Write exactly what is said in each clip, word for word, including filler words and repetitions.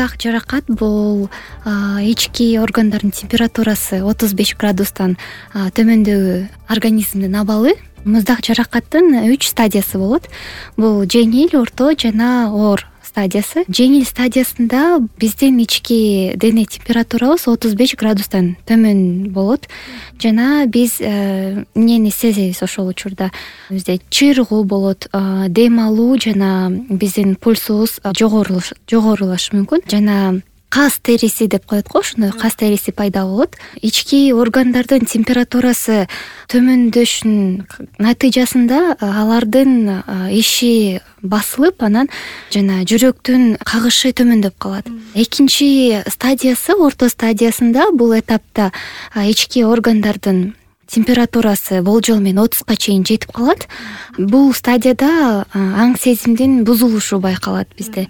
Муздак жаракат бул ички органдардын температурасы отуз беш градустан төмөндөгү организмдин абалы. Муздак жаракаттын үч стадиясы болот. Бул жеңил, орто жана оор стадиясы. Жеңил стадиясында биздин ички дене температурабыз отуз беш градустан төмөн болот жана биз эмнени сезебиз ошол учурда. Бизде чыйрыгуу болот, дем алуу жана биздин пульсубуз жогорулашы мүмкүн жана каз териси деп коет го, ошондой каз териси пайда болот. Ички органдардын температурасы төмөндөшүнүн натыйжасында алардын иши басылып, анан жана жүрөктүн кагышы төмөндөп калат. Экинчи стадиясы, орто стадиясында, бул этапта ички органдардын температурасы болжол менен отузга чейин жетип калат. Бул стадияда аң сезимдин бузулушу байкалат бизде.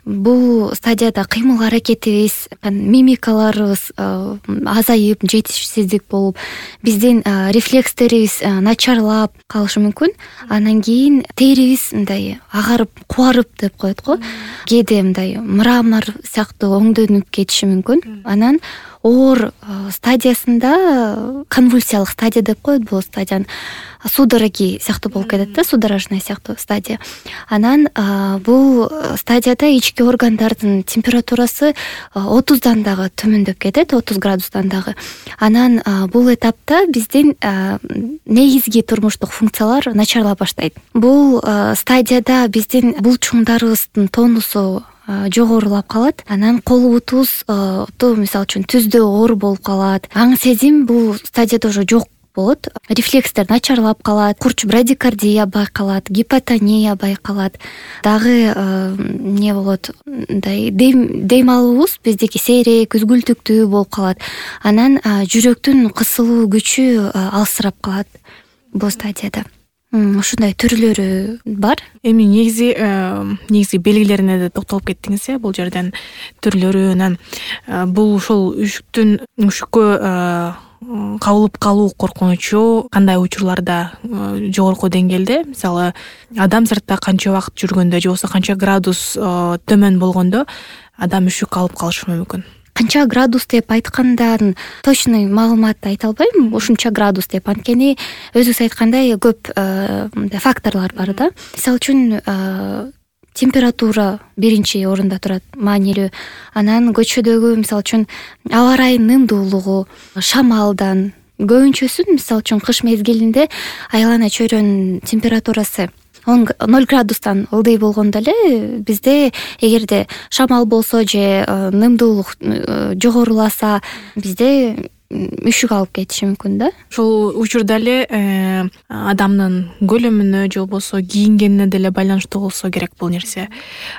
Бул стадияда кыймыл аракетибиз, мимикаларыбыз азайып, жетишсиздик болуп, биздин рефлекстерибиз начарлап калышы мүмкүн. Анан кийин терибиз мындай агарып, кубарып деп коет го. Кээде мындай мрамор сыяктуу өңдөнүп кетиши мүмкүн. Анан оор стадиясында, конвульсиялык стадия деп коет бул стадияны, судороги сыяктуу болуп кетет да, судорожный сыяктуу стадия. Анан бул стадияда ички органдардын температурасы отуздан дагы төмөндөп кетет, отуз градустан дагы. Анан бул этапта биздин негизги турмуштук функциялар начарлап баштайт. Бул стадияда биздин булчуңдарыбыздын тонусу жогорулап калат. Анан кол бутубуз, мисалы үчүн, түздө оор болуп калат. Аң сезим бул стадияда уже жок болот. Рефлекстер начарлап калат. Курч брадикардия байкалат, гипотония байкалат. Дагы эмне болот? Мындай дем алуубуз биздики сейрек, үзгүлтүктүү болуп калат. Анан жүрөктүн кысылуу күчү алсырап калат бул стадияда. Ушундай түрлөрү бар. Эми негизи негизи белгилерине да токтолуп кеттиңиз, э, бул жерден түрлөрүнөн. Бул ушул үшүктүн үшүккө кабылып калуу коркунучу кандай учурларда жогорку деңгээлде? Мисалы, адам сыртта канча убакыт жүргөндө же болбосо канча градус төмөн болгондо адам үшүк алып калышы мүмкүн? Канча градус деп айткандан точный маалымат айта албайм. Ушунча градус деп, анткени өзүңүз айткандай көп факторлор бар да. Мисалы үчүн температура биринчи орунда турат, маанилүү. Анан көчөдөгү, мисалы үчүн, аба ырайынын ымдуулугу, шамалдан, көбүнчөсүн, мисалы үчүн, кыш мезгилинде айлана чөйрөнүн температурасы ноль градустан ылдый болгондо эле бизде эгерде шамал болсо же нымдуулук жогоруласа, бизде үшүк алып кетиши мүмкүн да. Ошол учурда эле адамдын көлөмүнө же болбосо кийингенине деле байланыштуу болсо керек бул нерсе.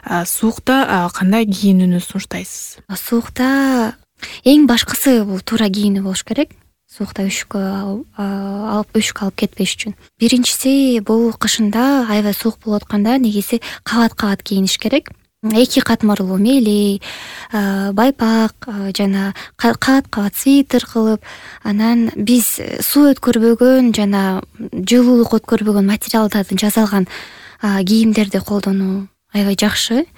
Суукта кандай кийинүүнү сунуштайсыз? Суукта эң башкысы бул туура кийинүү болуш керек. Суукта үшүк алып үшүк алып кетпеш үчүн. Биринчиси, бул кышында аябай суук болуп атканда негизи кабат-кабат кийиниш керек. Эки катмарлуу мээлей, байпак жана кабат-кабат свитер кылып, анан биз суу өткөрбөгөн жана жылуулук өткөрбөгөн материалдардан жасалган кийимдерди колдонуу аябай жакшы.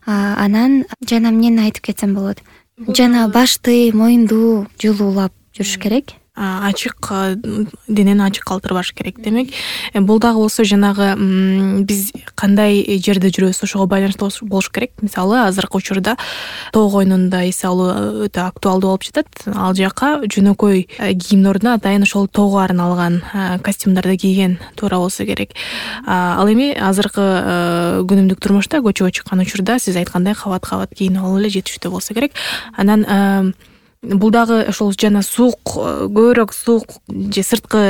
Анан жана эмнени айтып кетсем болот? Жана башты, моюнду жылуулап жүрүш керек. Ачык денени ачык калтырбаш керек. Демек, бул дагы болсо жанагы биз кандай жерде жүрөбүз ошого байланыштуу болуш керек. Мисалы, азыркы учурда тоо койнунда эс алуу өтө актуалдуу болуп жатат. Ал жака жөнөкөй кийимдин ордуна атайын ошол тоого арналган костюмдарды кийген туура болсо керек. Ал эми азыркы күнүмдүк турмушта көчөгө чыккан учурда сиз айткандай кабат-кабат кийинип алуу эле жетиштүү болсо керек. Анан бул дагы ошол жана суук, көбүрөөк суук же сырткы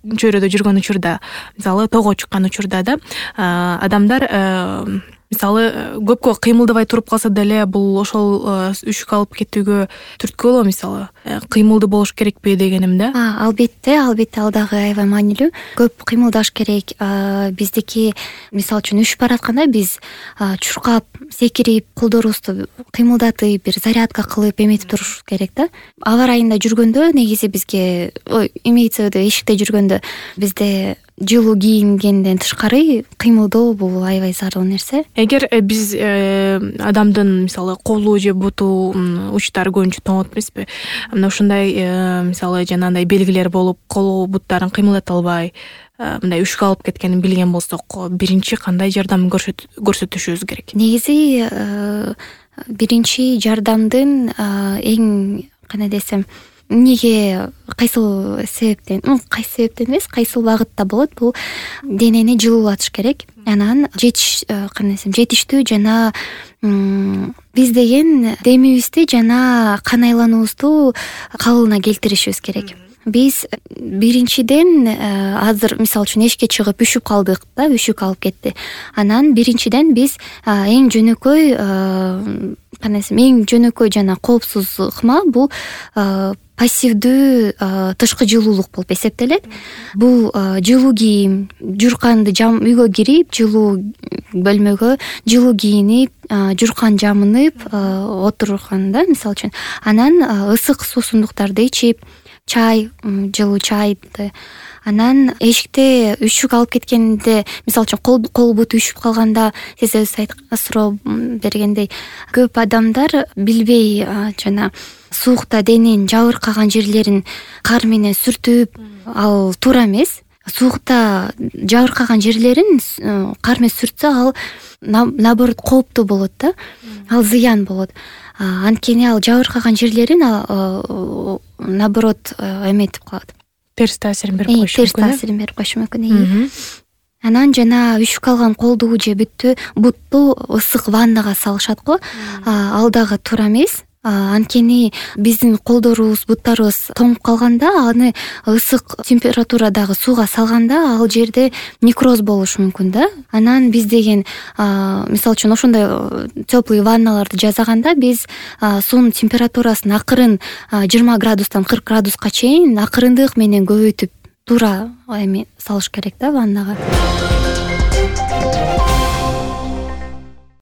чөйрөдө жүргөн учурда, мисалы тоого чыккан учурда да адамдар мисалы көпкө кыймылдабай туруп калса деле бул ошол үшүк алып кетүүгө түрткү болобу? Мисалы кыймылдуу болуш керекпи дегеним да. Албетте, албетте, ал дагы аябай маанилүү. Көп кыймылдаш керек. Биздики, мисалы үчүн, үшүп баратканда биз чуркап, секирип, колдорубузду кыймылдатып, бир зарядка кылып эметип туруш керек да. Аба ырайында жүргөндө негизи бизге, ой, имеется в виду, эшикте жүргөндө бизде жылуу кийингенден тышкары кыймылдоо бул аябай зарыл нерсе. Эгер биз адамдын мисалы колу же буту учтары көбүнчө тоңот эмеспи, мына ушундай мисалы жанагындай белгилер болуп колу буттарын кыймылдата албай мындай үшкө алып кеткенин билген болсок, биринчи кандай жардам көрсөтүшүбүз керек? Негизи биринчи жардамдын эң кандай десем, эмнеге кайсыл себептен, кайсы себептен эмес, кайсыл багытта болот, бул денени жылуулатыш керек. Анан жетиш кандай десем, жетиштүү жана биз деген демибизди жана кан айлануубузду калыбына келтиришибиз керек. Биз биринчиден азыр мисалы үчүн эшикке чыгып үшүп калдык да, үшүк алып кетти. Анан биринчиден биз эң жөнөкөй кандай десем, эң жөнөкөй жана коопсуз ыкма бул пассивдүү тышкы жылуулук болуп эсептелет. Бул жылуу кийим, журканды жам үйгө кирип, жылуу бөлмөгө жылуу кийинип, журкан жамынып отурганда мисалы үчүн, анан ысык суусундуктарды ичип, чай, жылуу чайды, анан эшикте үшүк алып кеткенде, мисалы үчүн кол кол буту үшүп калганда, сиз өзүңүз суроо бергендей, көп адамдар билбей жана суукта дененин жабыркаган жерлерин кар менен сүртүп, ал туура эмес. Суукта жабыркаган жерлерин кар менен сүртсө, ал наоборот кооптуу болот да, ал зыян болот. Анткени ал жабыркаган жерлерин наоборот эметип калат. Терс таасирин берип коюшу мүмкүн. Терс таасирин берип коюшу мүмкүн. Анан жана үшүп калган колду же бүттү бутту ысык ваннага салышат го. Ал дагы туура эмес. Анткени биздин колдорубуз, буттарыбыз тоңуп калганда, аны ысык температурадагы сууга салганда, ал жерде некроз болушу мүмкүн да. Анан биз деген мисалы үчүн ошондой теплый ванналарды жасаганда, биз суунун температурасын акырын жыйырма градустан кырк градуска чейин акырындык менен көбөйтүп туура эме салыш керек да ваннага.